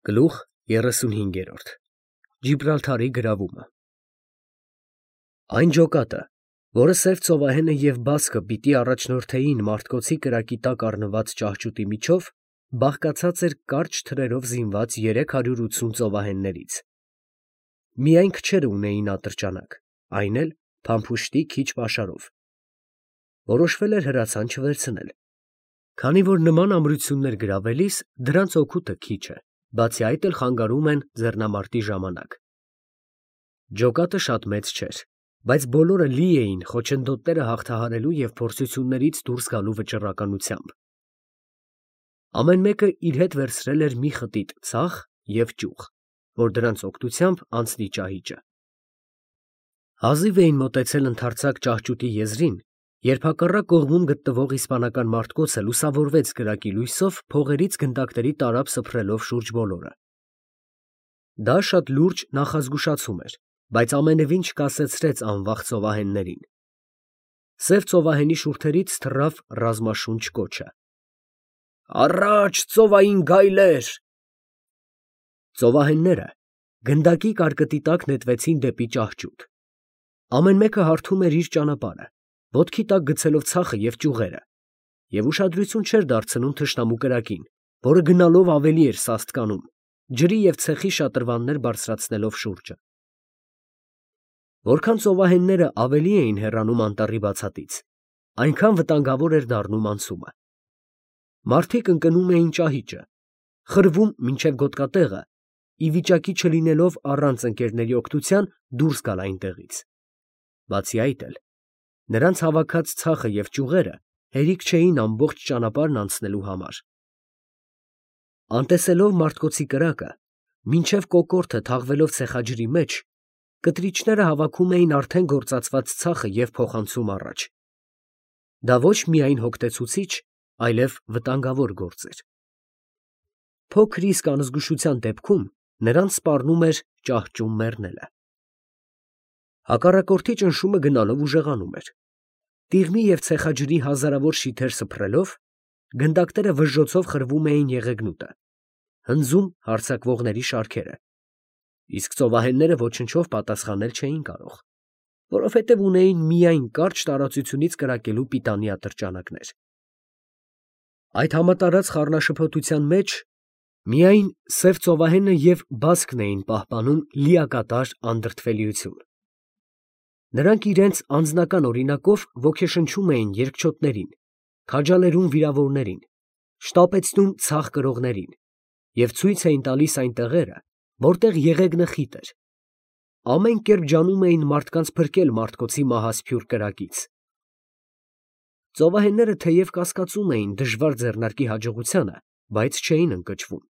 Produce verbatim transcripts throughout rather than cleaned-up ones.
Գլուխ երեսունհինգերորդ Ջիբրալթարի գրավումը Այն ջոկատը, որը սև ծովահենը և բասկը պիտի առաջնորդեին մարդկոցի կրակի տակ առնված ճահճուտի միջով, բաղկացած էր կարճ թրերով զինված երեք հարյուր ութսուն ծովահեններից. միայն քչերը ունեին ատրճանակ, այն էլ փամփուշտի քիչ պաշարով. որոշվել էր հրացան չվերցնել, քանի որ նման ամրություններ գրավելիս դրանց օգուտը քիչ է, բացի այդ էլ խանգարում են ձեռնամարտի ժամանակ. ջոկատը շատ մեծ չէր, բայց բոլորը լի էին խոչընդոտները հաղթահարելու և փորձություններից դուրս գալու վճռականությամբ. ամեն մեկը իր հետ վերցրել էր մի խտիտ ցախ և ճյուղ, որ դրանց օգնությամբ անցնի ճահիճը. հազիվ էին մոտեցել ընդարձակ ճահճուտի եզրին, երբ հակառակ կողմում գտնվող իսպանական մարդկոցը լուսավորվեց կրակի լույսով փողերից գնդակների տարափ սփռելով շուրջ բոլորը. դա շատ լուրջ նախազգուշացում էր, բայց ամենևին չկասեցրեց անվախ ծովահեններին. սև ծովահենի շուրթերից թռավ ռազմաշունչ կոչը. «Առաջ, ծովային գայլեր»։ Ծովահենները գնդակի կարկտի տակ նետվեցին դեպի ճահճուտ. ամեն մեկը հարթում էր իր ճանապարհը, ոտքի տակ գցելով ցախը և ճյուղերը, և ուշադրություն չէր դարձնում թշնամու կրակին, որը գնալով ավելի էր սաստկանում, ջրի և ցեխի շատրվաններ բարձրացնելով շուրջը. որքան ծովահենները ավելի էին հեռանում անտառի բացատից, այնքան վտանգավոր էր դառնում անցումը. մարդիկ ընկնում էին ճահիճը, խրվում մինչև գոտկատեղը, ի վիճակի չլինելով առանց ընկերների օգնության դուրս գալ այնտեղից. բացի այդ էլ, նրանց հավաքած ցախը և ճյուղերը հերիք չէին ամբողջ ճանապարհն անցնելու համար. անտեսելով մարդկոցի կրակը, մինչև կոկորդը թաղվելով ցեխաջրի մեջ, կտրիչները հավաքում էին արդեն գործածված ցախը և փոխանցում առաջ. դա ոչ միայն հոգնեցուցիչ, այլև վտանգավոր գործ էր. փոքր իսկ անզգուշության դեպքում նրանց սպառնում էր ճահճում մեռնելը. հակառակորդի ճնշումը գնալով ուժեղանում էր. տիղմի և ցեխաջրի հազարավոր շիթեր սփռելով, գնդակները վժժոցով խրվում էին եղեգնուտը, հնձում հարձակվողների շարքերը, իսկ ծովահենները ոչնչով պատասխանել չէին կարող, որովհետև ունեին միայն կարճ տարածությունից կրակելու պիտանի ատրճանակներ. այդ համատարած խառնաշփոթության մեջ միայն սև ծովահենը և բասկն էին պահպանում լիակատար անդրդվելիություն. նրանք իրենց անձնական օրինակով ոգեշնչում էին երկչոտներին, քաջալերում վիրավորներին, շտապեցնում ցախ կրողներին և ցույց էին տալիս այն տեղերը, որտեղ եղեգնը խիտ էր, ամեն կերպ ջանում էին մարդկանց փրկել մարդկոցի մահասփյուռ կրակից. ծովահենները թեև կասկածում էին դժվար ձեռնարկի հաջողությանը, բայց չէին ընկճվում,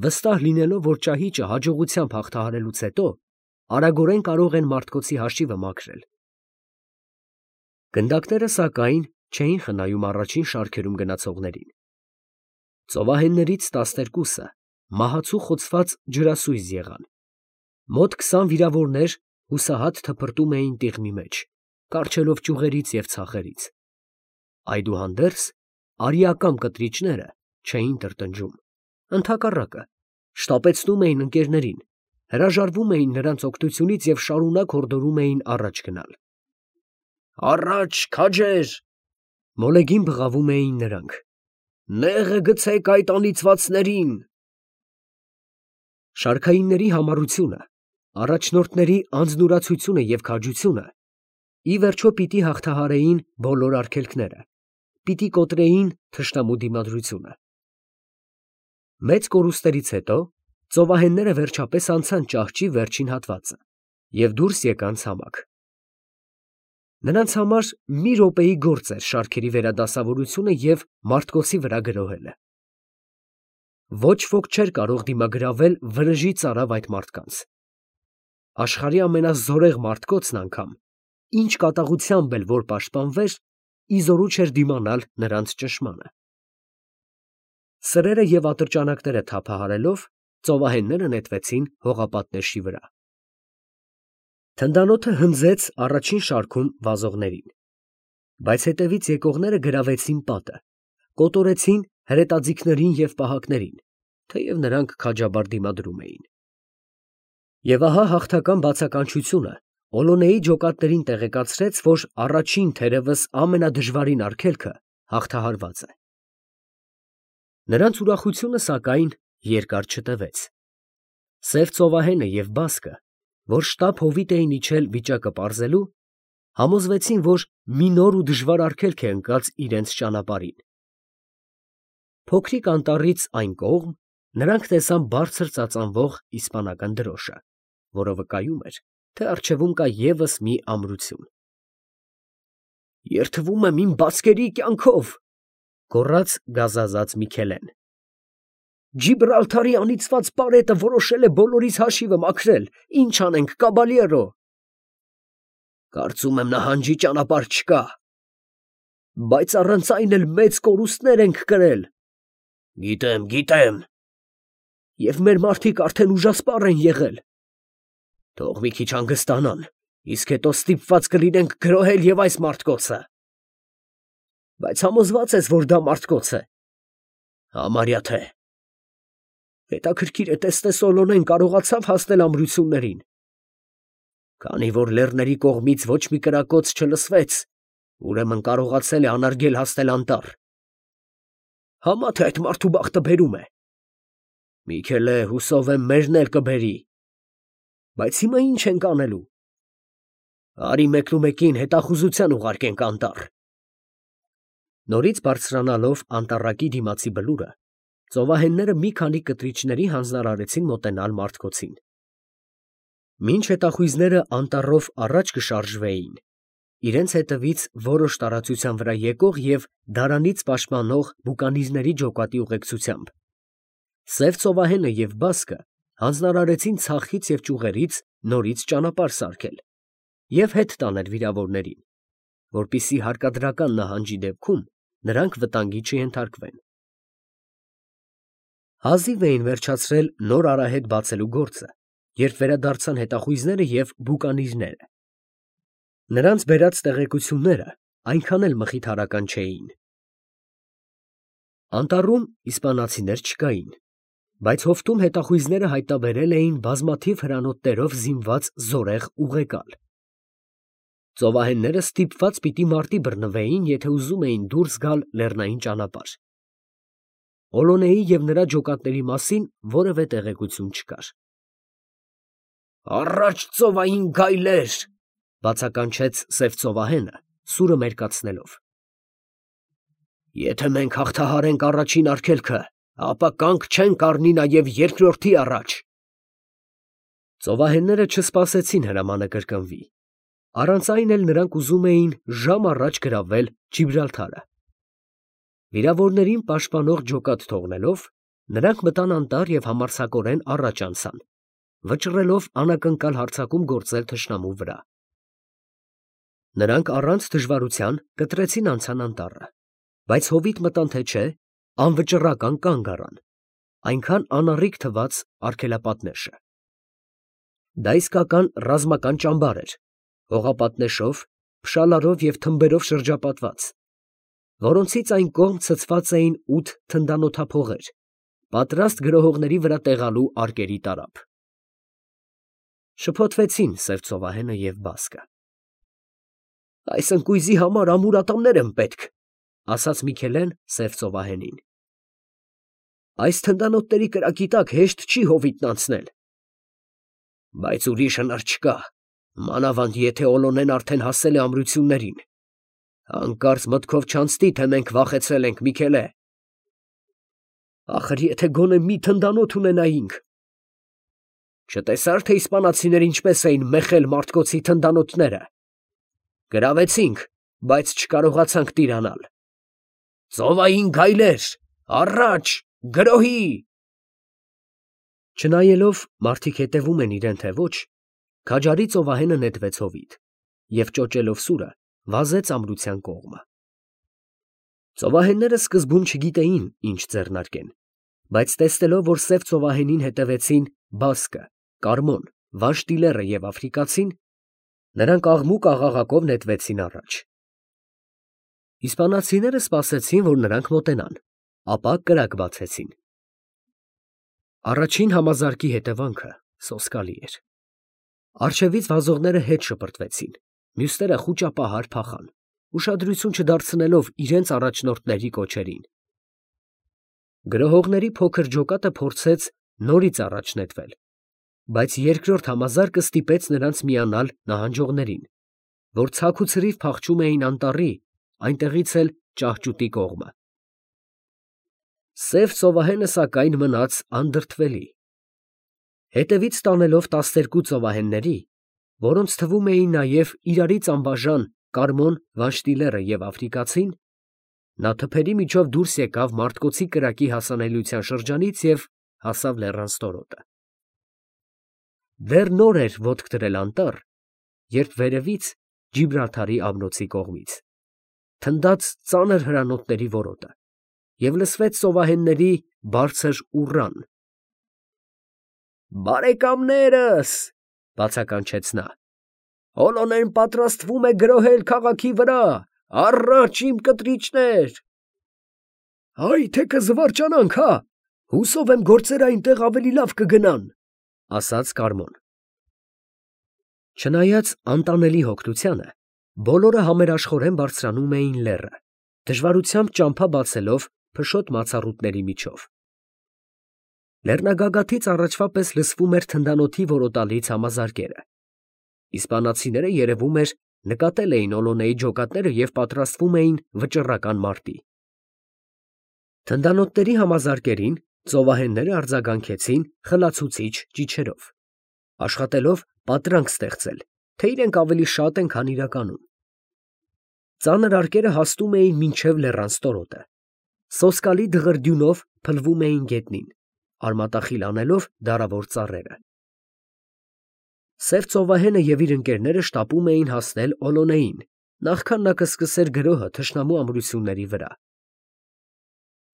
վստահ լինելով, որ ճահիճը հաջողությամբ հաղթահարելուց հետո արագորեն կարող են մարդկոցի հաշիվը մաքրել. գնդակները, սակայն, չէին խնայում առաջին շարքերում գնացողներին. ծովահեններից տասներկուսը մահացու խոցված ջրասույզ եղան, մոտ քսան վիրավորներ հուսահատ թփրտում էին տիղմի մեջ, կառչելով ճյուղերից և ցախերից. այդուհանդերձ արիակամ կտրիչները չէին տրտնջում, ընդհակառակը, շտապեցնում էին ընկերներին, հրաժարվում էին նրանց օգնությունից և շարունակ հորդորում էին առաջ գնալ. «Առաջ, քաջեր», մոլեգին բղավում էին նրանք, «նեղը գցեք այդ անիծվածներին»։ Շարքայինների համառությունը, առաջնորդների անձնուրացությունը և քաջությունը ի վերջո պիտի հաղթահարեին բոլոր արգելքները, պիտի կոտրեին թշնամու դիմադրությունը. մեծ կորուստներից հետո ծովահենները վերջապես անցան ճահճի վերջին հատվածը և դուրս եկան ցամաք. նրանց համար մի րոպեի գործ էր շարքերի վերադասավորությունը և մարդկոցի վրա գրոհելը. ոչ ոք չէր կարող դիմագրավել վրեժի ծարավ այդ մարդկանց. աշխարհի ամենազորեղ մարդկոցն անգամ, ինչ կատաղությամբ էլ որ պաշտպանվեր, ի զորու չէր դիմանալ նրանց ճնշմանը. սրերը և ատրճանակները թափահարելով, ծովահենները նետվեցին հողապատնեշի վրա. թնդանոթը հնձեց առաջին շարքում վազողներին, բայց հետևից եկողները գրավեցին պատը, կոտորեցին հրետաձիգներին և պահակներին, թեև նրանք քաջաբար դիմադրում էին։ Եվ ահա հաղթական բացականչությունը Օլոնեի ջոկատներին տեղեկացրեց, որ առաջին, թերևս ամենադժվարին արգելքը հաղթահարված է։ Նրանց ուրախությունը, սակայն, երկար չտևեց։ Սև ծովահենը և բասկը, որ շտապ հովիտ էին իջել վիճակը պարզելու, համոզվեցին, որ մի նոր ու դժվար արգելք է ընկած իրենց ճանապարհին։ Փոքրիկ անտառից այն կողմ նրանք տեսան բարձր ծածանվող իսպանական դրոշը, որը վկայում էր, թե առջևում կա ևս մի ամրություն։ «Երդվում եմ իմ բասկերի կյանքով», գոռաց գազազած Միքելեն։ «Ջիբրալթարի անիծված պարետը որոշել է բոլորիս հաշիվը մաքրել, ինչ անենք, կաբալյերո»։ «Կարծում եմ նահանջի ճանապարհ չկա»։ «Բայց առանց այն էլ մեծ կորուստներ ենք կրել»։ «Գիտեմ, գիտեմ»։ «Եվ մեր մարդիկ արդեն ուժասպառ են եղել»։ «Թող մի քիչ հանգստանան, իսկ հետո ստիպված կլինենք գրոհել և այս մարդկոցը»։ «Բայց համոզվա՞ծ ես, որ դա մարդկոց է»։ «Համարյա թե»։ «Հետաքրքիր է տեսնես Օլոնեն կարողացավ հասնել ամրություններին»։ «Քանի որ լեռների կողմից ոչ մի կրակոց չլսվեց, ուրեմն կարողացել է անարգել հասնել անտառ»։ «Համա թե այդ մարդու բախտը բերում է»։ «Միքելե, հուսով եմ մերն էլ կբերի»։ «Բայց հիմա ի՞նչ ենք անելու»։ «Արի մեկնումեկին հետախուզության ուղարկենք անտառ»։ Նորից բարձրանալով անտառակի դիմացի բլուրը, ծովահենները մի քանի կտրիչների հանձնարարեցին մոտենալ մարդկոցին։ Մինչ հետախույզները անտառով առաջ կշարժվեին, իրենց հետևից որոշ տարածության վրա եկող և դարանից պաշտպանող բուկանիզների ջոկատի ուղեկցությամբ, սև ծովահենը և բասկը հանձնարարեցին ցախից և ճյուղերից նորից ճանապարհ սարքել և հետ տանել վիրավորներին, որպեսզի հարկադրական նահանջի դեպքում նրանք վտանգի չենթարկվեն։ Հազիվ էին վերջացրել նոր արահետ բացելու գործը, երբ վերադարձան հետախույզները և բուկանիզները։ Նրանց բերած տեղեկությունները այնքան էլ մխիթարական չէին։ Անտառում իսպանացիներ չկային, բայց հովտում հետախույզները հայտնաբերել էին բազմաթիվ հրանոթներով զինված զորեղ ուղեկալ։ Ծովահենները ստիպված պիտի մարտի բռնվեին, եթե ուզում էին դուրս գալ լեռնային ճանապարհ։ Օլոնեի և նրա ջոկատների մասին որևէ տեղեկություն չկար։ «Առաջ ծովային գայլեր», բացականչեց սև ծովահենը, սուրը մերկացնելով։ «Եթե մենք հաղթահարենք առաջին արգելքը, ապա կանգ չենք առնի նաև երկրորդի առաջ»։ Ծովահենները չսպասեցին հրամանը կրկնվի։ Առանց այն էլ նրանք ուզում էին ժամ առաջ գրավել Ջիբրալթարը։ Վիրավորներին պաշտպանող ջոկատ թողնելով, նրանք մտան անտառ և համարձակորեն առաջ անցան, վճռելով անակնկալ հարձակում գործել թշնամու վրա։ Նրանք առանց դժվարության կտրեցին անցան անտառը, բայց հովիտ մտան թե չէ, անվճռական կանգ առան, այնքան անառիկ թվաց արգելապատնեշը։ Դա իսկական ռազմական ճամբար էր, հողապատնեշով, փշալարով և թմբերով շրջապատված, որոնցից այն կողմ ցցված էին ութ թնդանոթափողեր, պատրաստ գրոհողների վրա տեղալու արկերի տարափ։ Շփոթվեցին սև ծովահենը և բասկը։ «Այս ընկույզի համար ամուր ատամներ են պետք», ասաց Միքելեն սև ծովահենին։ «Այս թնդանոթների կրակի տակ հեշտ չի հովիտն անցնել»։ «Բայց ուրիշ հնար չկա, մանավանդ եթե Օլոնեն արդեն հասել է ամրություններին։ Հանկարծ մտքով չանցնի, թե մենք վախեցել ենք, Միքելե»։ «Ախր եթե գոնե մի թնդանոթ ունենայինք»։ «Չտեսա՞ր, թե իսպանացիները ինչպես էին մեխել մարդկոցի թնդանոթները։ Գրավեցինք, բայց չկարողացանք տիրանալ։ Ծովային գայլեր, առաջ, գրոհի»։ Չնայելով մարդիկ հետևում են իրեն թե ոչ, քաջարի ծովահենը նետվեց հովիտ և ճոճելով սուրը վազեց ամրության կողմը։ Ծովահենները սկզբում չգիտեին ինչ ձեռնարկեն, բայց տեսնելով, որ սև ծովահենին հետևեցին բասկը, Կարմոն, Վանշտիլեռը և աֆրիկացին, նրանք աղմուկ֊աղաղակով նետվեցին առաջ։ Իսպանացիները սպասեցին, որ նրանք մոտենան, ապա կրակ բացեցին։ Առաջին համազարկի հետևանքը սոսկալի էր։ Արջևից վազողները հետ շպրտվեցին, մյուսները խուճապահար փախան, ուշադրություն չդարձնելով իրենց առաջնորդների կոչերին։ Գրոհողների փոքր ջոկատը փորձեց նորից առաջ նետվել, բայց երկրորդ համազարկը ստիպեց նրանց միանալ նահանջողներին, որ ցաք ու ցրիվ փախչում էին անտառի, այնտեղից էլ ճահճուտի կողմը։ Սև ծովահենը սակայն մնաց անդրդվելի։ Հետևից տանելով տասներկու ծովահենների, որոնց թվում էին նաև իրարից անբաժան Կարմոն Վանշտիլերը և Աֆրիկացին, նա թփերի միջով դուրս եկավ Մարտկոցի կրակի հասանելիության շրջանից և հասավ լեռան ստորոտը։ Դեռ նոր էր ոտք դրել անտառ, երբ վերևից, Ջիբրալթարի ամրոցի կողմից, թնդաց ծանր հրանոթների որոտը և լսվեց ծովահենների բարձր ուռան։ «Բարեկամներս, ֊ բացականչեց նա, ֊ Օլոնեն պատրաստվում է գրոհել քաղաքի վրա, առաջ իմ կտրիչներ»։ «Այ թե կզվարճանանք, հա, հուսով եմ գործերը այնտեղ ավելի լավ կգնան, ֊ ասաց Կարմոն։ Չնայած անտանելի հոգնությանը, բոլորը համերաշխորեն բարձրանում էին լեռը, դժվարությամբ ճամփա բացելով փշոտ մացառուտների միջով։ Լեռնագագաթից առաջվա պես լսվում էր թնդանոթի որոտալից համազարկերը։ Իսպանացիները, երևում էր, նկատել էին Օլոնեի ջոկատները և պատրաստվում էին վճռական մարտի։ Թնդանոթների համազարկերին ծովահենները արձագանքեցին խլացուցիչ ճիչերով, աշխատելով պատրանք ստեղծել, թե իրենք ավելի շատ են, քան իրականում։ Ծանր արկերը հասնում էին մինչև լեռան ստորոտը, սոսկալի դղրդյունով փլվում էին գետնին, արմատախիլ անելով դարավոր ծառերը։ Սև ծովահենը և իր ընկերները շտապում էին հասնել Օլոնեին, նախքան նա կսկսեր գրոհը թշնամու ամրությունների վրա։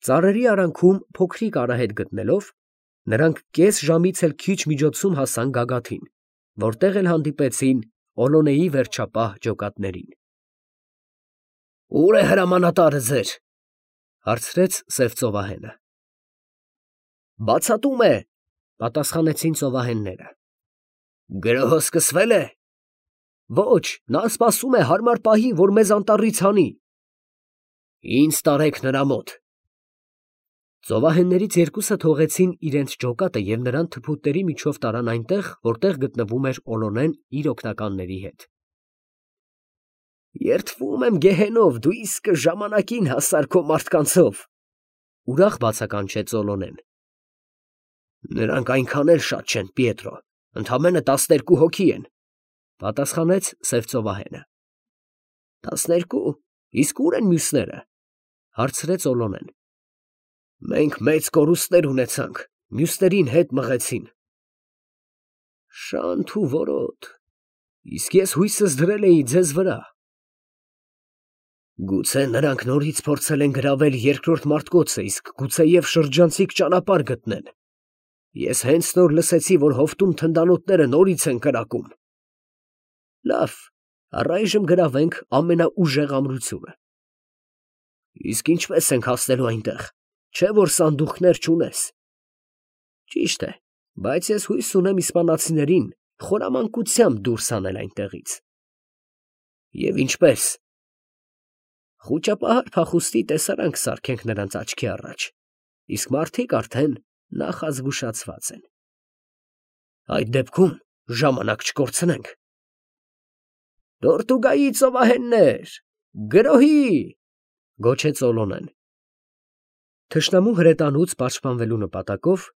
Ծառերի արանքում փոքրիկ արահետ գտնելով, նրանք կես ժամից էլ քիչ միջոցում հասան գագաթին, որտեղ էլ հանդիպեցին Օլոնեի վերջապահ ջոկատներին։ «Ո՞ւր է հրամանատարը ձեր, ֊ հարցրեց սև ծովահենը։ ֊ Բացատում է, ֊ պատասխանեցին ծովահենները։ ֊ Գրոհը սկսվե՞լ է։ ֊ Ոչ, նա սպասում է հարմար պահի, որ մեզ անտառից հանի։ ֊ Ինձ տարեք նրա մոտ։ Ծովահեններից երկուսը թողեցին իրենց ջոկատը և նրան թփուտների միջով տարան այնտեղ, որտեղ գտնվում էր Օլոնեն իր օգնականների հետ։ «Երդվում եմ գեհենով, դու իսկը ժամանակին հասար քո մարդկանցով, ֊ ուրախ բացականչեց Օլոնեն։ ֊ Նրանք այնքան էլ շատ չեն, Պիետրո, ընդամենը տասներկու հոգի են, ֊ պատասխանեց սև ծովահենը։ ֊ Տասներկու, իսկ ո՞ւր են մյուսները, ֊ հարցրեց Օլոնեն։ ֊ Մենք մեծ կորուստներ ունեցանք, մյուսներին հետ մղեցին։ ֊ Շանթ ու որոտ, իսկ ես հույսս դրել էի ձեզ վրա։ ֊ Գուցե նրանք նորից փորձել են գրավել երկրորդ Մարտկոցը, իսկ գուցեև շրջանցիկ ճանապարհ գտնեն։ Ես հենց նոր լսեցի, որ հովտում թնդանոթները նորից են կրակում։ Լավ, առայժմ գրավենք ամենաուժեղ ամրությունը։ Իսկ ինչպես ենք հասնելու այնտեղ, չէ՞ որ սանդուղքներ չունես։ Ճիշտ է, բայց ես հույս ունեմ իսպանացիներին խորամանկությամբ դուրս հանել այնտեղից։ Եվ ինչպե՞ս։ Խուճապահար փախուստի տեսարան կսարքենք նրանց աչքի առաջ, իսկ մարդիկ արդեն նախազգուշացված են։ Այդ դեպքում ժամանակ չկորցնենք։ Տորտուգայի ծովահեններ, գրոհի, ֊ գոչեց Օլոնեն։ Թշնամու հրետանուց պաշտպանվելու նպատակով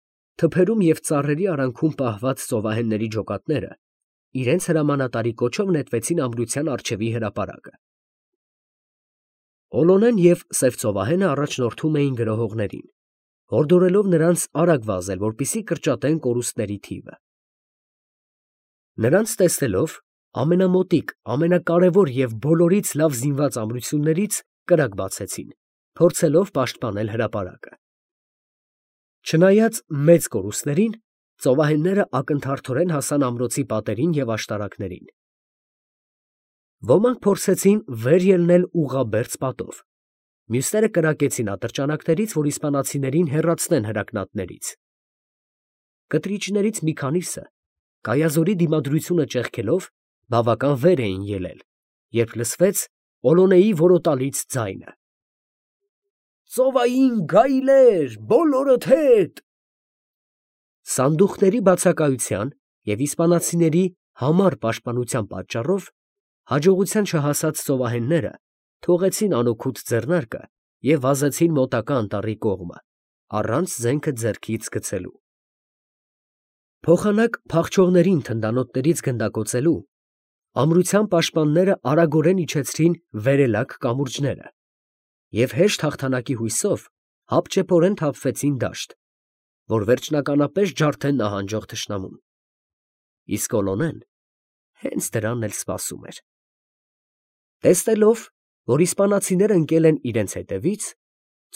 թփերում և ծառերի արանքում պահված ծովահենների ջոկատները իրենց հրամանատարի կոչով նետվեցին ամրության առջևի հրապարակը։ Օլոնեն և սև ծովահենը առաջնորդում էին գրոհողներին, հորդորելով նրանց արագ վազել, որպեսզի կրճատեն կորուստների թիվը։ Նրանց տեսնելով, ամենամոտիկ, ամենակարևոր և բոլորից լավ զինված ամրություններից կրակ բացեցին, փորձելով պաշտպանել հրապարակը։ Չնայած մեծ կորուստներին, ծովահենները ակնթարթորեն հասան ամրոցի պատերին և աշտարակներին։ Ոմանք փորձեցին վեր ելնել ուղղաբերձ պատով, մյուսները կրակեցին ատրճանակներից, որ իսպանացիներին հեռացնեն հրակնատներից։ Կտրիչներից մի քանիսը, կայազորի դիմադրությունը ճեղքելով, բավական վեր էին ելել, երբ լսվեց Օլոնեի որոտալից ձայնը. «Ծովային գայլեր, բոլորդ հետ»։ Սանդուղքների բացակայության և իսպանացիների համառ պաշտպանության պատճառով հաջողության չհասած ծովահենները թողեցին անօգուտ ձեռնարկը և վազեցին մոտակա անտառի կողմը, առանց զենքը ձեռքից գցելու։ Փոխանակ փախչողներին թնդանոթներից գնդակոծելու ամրության պաշտպանները արագորեն իջեցրին վերելակ կամուրջները և հեշտ հաղթանակի հույսով հապճեպորեն թափվեցին դաշտ, որ վերջնականապես ջարդեն նահանջող թշնամուն։ Իսկ Օլոնեն հենց դրանն էլ սպասում էր։ Տեսնելով, որ իսպանացիները ընկել են իրենց հետևից,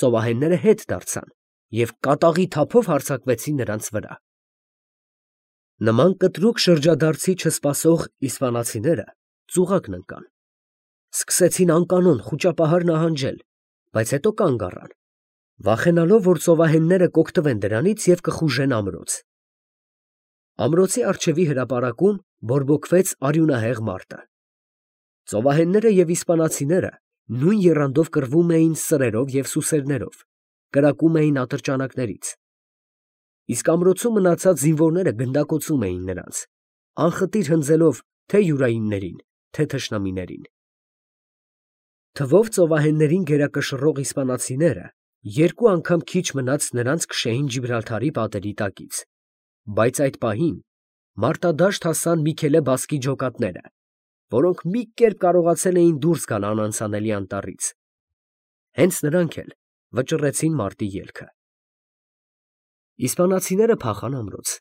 ծովահենները հետ դարձան և կատաղի թափով հարձակվեցին նրանց վրա։ Նման կտրուկ շրջադարձի չսպասող իսպանացիները ծուղակն ընկան, սկսեցին անկանոն խուճապահար նահանջել, բայց հետո կանգ առան, վախենալով, որ ծովահենները կօգտվեն դրանից և կխուժեն ամրոց։ Ամրոցի առջևի հրապարակում բորբոքվեց արյունահեղ մարտը։ Ծովահենները և իսպանացիները նույն եռանդով կռվում էին սրերով և սուսերներով, կրակում էին ատրճանակներից, իսկ ամրոցում մնացած զինվորները գնդակոծում էին նրանց, անխտիր հնձելով թե յուրայիններին, թե թշնամիներին։ Թվով ծովահեններին գերակշռող իսպանացիները երկու անգամ քիչ մնաց նրանց քշեին Ջիբրալթարի պատերի տակից, բայց այդ պահին մարտադաշտ հասան Միքելե բասկի ջոկատները, որոնք մի կերպ կարողացել էին դուրս գալ անանցանելի անտառից։ Հենց նրանք էլ վճռեցին մարտի ելքը։ Իսպանացիները փախան ամրոց,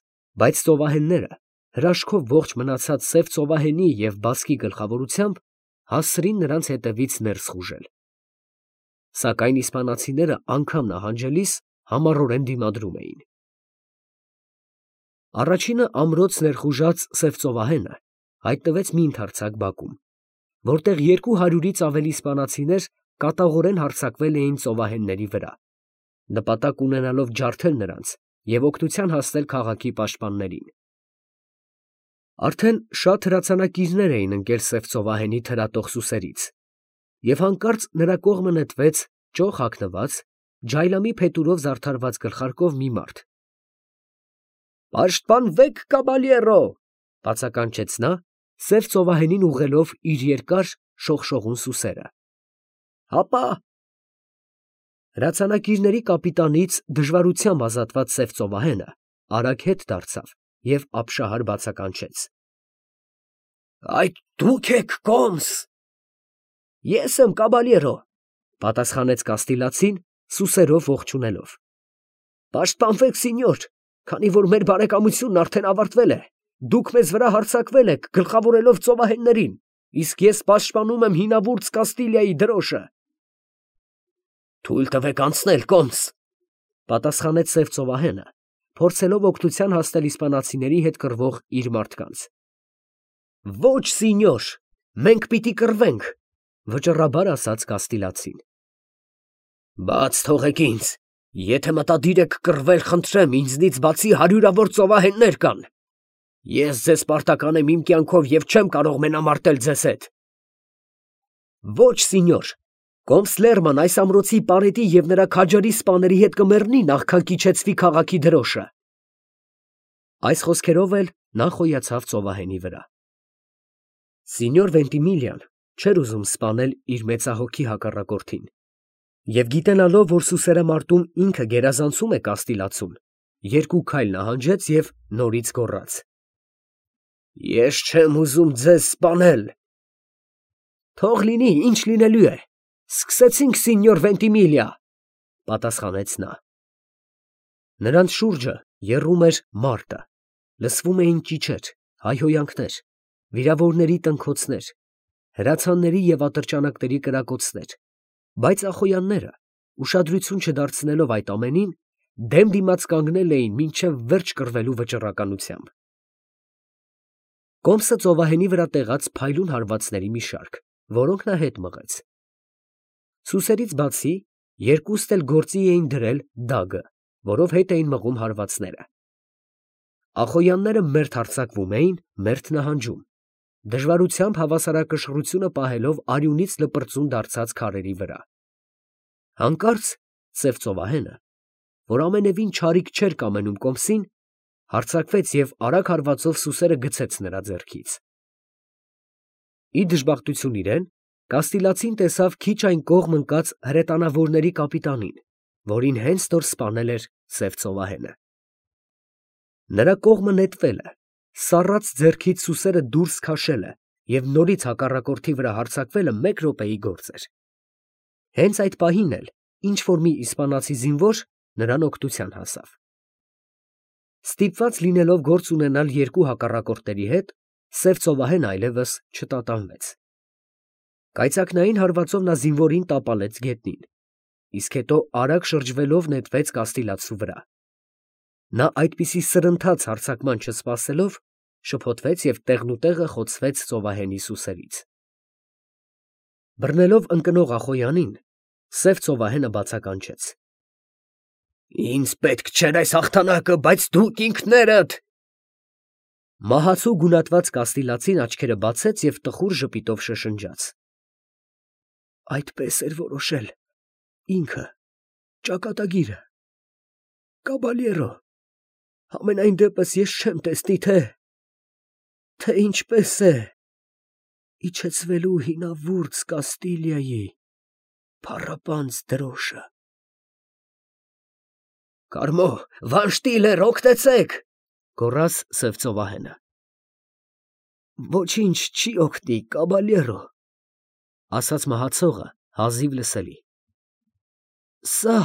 բայց ծովահենները, հրաշքով ողջ մնացած սև ծովահենի և բասկի գլխավորությամբ, հասցրին նրանց հետևից ներս խուժել։ Սակայն իսպանացիները անգամ նահանջելիս համառորեն դիմադրում էին։ Առաջինը ամրոց ներխուժած սև ծովահենը հայտնվեց մի ընդարձակ բակում, որտեղ երկու հարյուրից ավելի իսպանացիներ կատաղորեն հարձակվել էին ծովահենների վրա, նպատակ ունենալով ջարդել նրանց և օգնության հասնել քաղաքի պաշտպաններին։ Արդեն շատ հրացանակիրներ էին ընկել սև ծովահենի թրատող սուսերից, և հանկարծ նրա կողմը նետվեց ճոխ հագնված, ջայլամի փետուրով զարդարված գլխարկով մի մարդ։ «Պաշտպանվեք, կաբալյերո», ֊ բացականչեց նա, սև ծովահենին ուղղելով իր երկար շողշողուն սուսերը։ «Հապա»։ Հրացանակիրների կապիտանից դժվարությամբ ազատված սև ծովահենը արագ հետ դարձավ և ապշահար բացականչեց. «Այդ դու՞ք եք, կոմս»։ «Ես եմ, կաբալյերո», ֊ պատասխանեց կաստիլացին, սուսերով ողջունելով։ «Պաշտպանվեք, սինյոր, քանի որ մեր բարեկամությունն արդեն ավարտվել է, դուք մեզ վրա հարձակվել եք, գլխավորելով ծովահեններին, իսկ ես պաշտպանում եմ հինավուրց Կաստիլիայի դրոշը»։ «Թույլ տվեք անցնել, կոմս», ֊ պատասխանեց սև ծովահենը, փորձելով օգնության հասնել իսպանացիների հետ կռվող իր մարդկանց։ «Ո՛չ, սինյոր, մենք պիտի կռվենք», ֊ վճռաբար ասաց կաստիլացին։ «Բաց թողեք ինձ, եթե մտադիր եք կռվել, խնդրեմ, ինձնից բացի հարյուրավոր ծովահեններ կան։ Ես ձեզ պարտական եմ իմ կյանքով և չեմ կարող մենամարտել ձեզ հետ»։ «Ո՛չ, սինյոր, կոմս Լերման այս ամրոցի պարետի և նրա քաջարի սպաների հետ կմեռնի, նախքան կիջեցվի քաղաքի դրոշը»։ Այս խոսքերով էլ նա խոյացավ ծովահենի վրա։ Սինյոր Վենտիմիլիան չէր ուզում սպանել իր մեծահոգի հակառակորդին, և գիտենալով, որ սուսերամարտում ինքը գերազանցում է կաստիլացուն, երկու քայլ նահանջեց և նորից գոռաց. «Ես չեմ ուզում ձեզ սպանել»։ «Թող լինի, ինչ լինելու է, սկսեցինք, սինյոր Վենտիմիլիա», ֊ պատասխանեց նա։ Նրանց շուրջը եռում էր մարտը, լսվում էին ճիչեր, հայհոյանքներ, վիրավորների տնքոցներ, հրացանների և ատրճանակների կրակոցներ, բայց ախոյանները, ուշադրություն չդարձնելով այդ ամենին, դեմ դիմաց կանգնել էին մինչև վերջ կռվելու վճռականությամբ։ Կոմսը ծովահենի վրա տեղաց փայլուն հարվածների մի շարք, որոնք նա հետ մղեց։ Սուսերից բացի, երկուստ էլ գործի էին դրել դագը, որով հետ էին մղում հարվածները։ Ախոյանները մերթ հարձակվում էին, մերթ նահանջում, դժվարությամբ հավասարակշռությունը պահելով արյունից լպրծուն դարձած քարերի վրա։ Հանկարծ սև ծովահենը, որ ամենևին չարիք չէր կամենում կոմսին, հարձակվեց և արագ հարվածով սուսերը գցեց նրա ձեռքից։ Ի դժբախտություն իրեն, Կաստիլացին տեսավ քիչ այն կողմ ընկած հրետանավորների կապիտանին, որին հենց նոր սպանել էր սև ծովահենը։ Նրա կողմը նետվել է, սառած ձեռքից սուսերը դուրս քաշել է և նորից հակառակորդի վրա հարձակվելը մեկ րոպեի գործ էր։ Հենց այդ պահին էլ ինչ֊որ մի իսպանացի զինվոր նրան օգնության հասավ։ Ստիպված լինելով գործ ունենալ երկու հակառակորդների հետ, սև ծովահենը այլևս չտատանվեց։ Կայծակնային հարվածով նա զինվորին տապալեց գետնին, իսկ հետո արագ շրջվելով նետվեց Կաստիլացու վրա։ Նա այդպիսի սրընթաց հարձակման չսպասելով, շփոթվեց և տեղնուտեղը խոցվեց ծովահենի սուսերից։ Բռնելով ընկնող Ախոյանին, սև ծովահենը բացականչեց. «Ինձ պետք չէր այս հաղթանակը, բայց դուք ինքներդ…» Մահացու գունատված Կաստիլացին աչքերը բացեց և տխուր ժպիտով շշնջաց. «Այդպես էր որոշել ինքը, ճակատագիրը, կաբալյերո, համենայն դեպս ես չեմ տեսնի, թե… թե ինչպես է իջեցվելու հինավուրց Կաստիլիայի փառապանծ դրոշը»։ «Կարմո, վանշտիլեր, օգնեցե՛ք», գոռաց սև ծովահենը։ «Ոչինչ չի օգնի, կաբալյերո», ասաց մահացողը հազիվ լսելի։ «Սա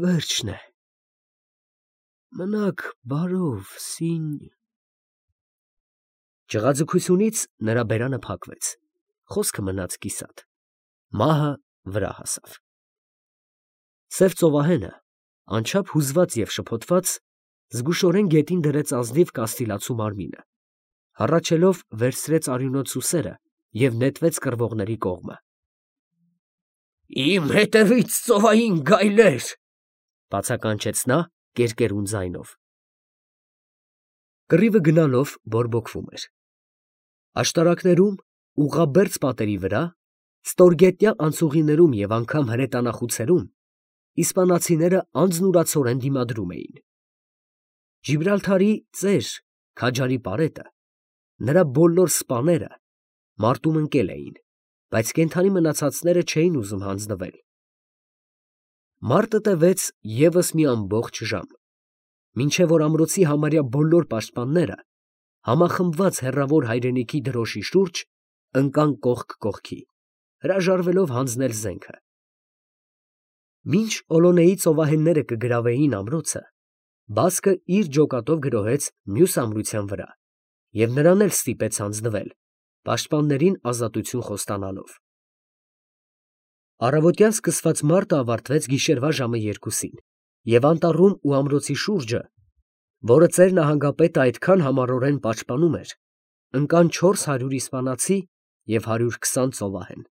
վերջն է, մնաք բարով, սին…» Ճղաձգությունից նրա բերանը փակվեց, խոսքը մնաց կիսատ, մահը վրա հասավ։ Սև ծովահենը, անչափ հուզված և շփոթված, զգուշորեն գետին դրեց ազնիվ Կաստիլացու մարմինը, հառաչելով վերցրեց արյունոտ սուսերը և նետվեց կռվողների կողմը։ «Իմ հետևից, ծովային գայլեր», բացականչեց նա կերկերուն ձայնով։ Կռիվը գնալով բորբոքվում էր։ Աշտարակներում, ուղղաբերձ պատերի վրա, ստորգետնյա անցուղիներում և անգամ հրետանախուցերում իսպանացիները անձնուրացորեն դիմադրում էին։ Ջիբրալթարի ծեր քաջարի պարետը, նրա բոլոր սպաները մարտում ընկել էին, բայց կենդանի մնացածները չէին ուզում հանձնվել։ Մարտը տևեց ևս մի ամբողջ ժամ, մինչև որ ամրոցի համարյա բոլոր պաշտպանները, համախմբված հեռավոր հայրենիքի դրոշի շուրջ, ընկան կողք կողքի, հրաժարվելով հանձնել զենքը։ Մինչ Օլոնեի ծովահենները կգրավեին ամրոցը, բասկը իր ջոկատով գրոհեց մյուս ամրության վրա և նրան էլ ստիպեց հանձնվել, պաշտպաններին ազատություն խոստանալով։ Առավոտյան սկսված մարտը ավարտվեց գիշերվա ժամը երկուսին, և անտառում ու ամրոցի շուրջը, որը ծեր նահանգապետը այդքան համառորեն պաշտպանում էր, ընկան չորս հարյուր իսպանացի և հարյուր քսան ծովահեն։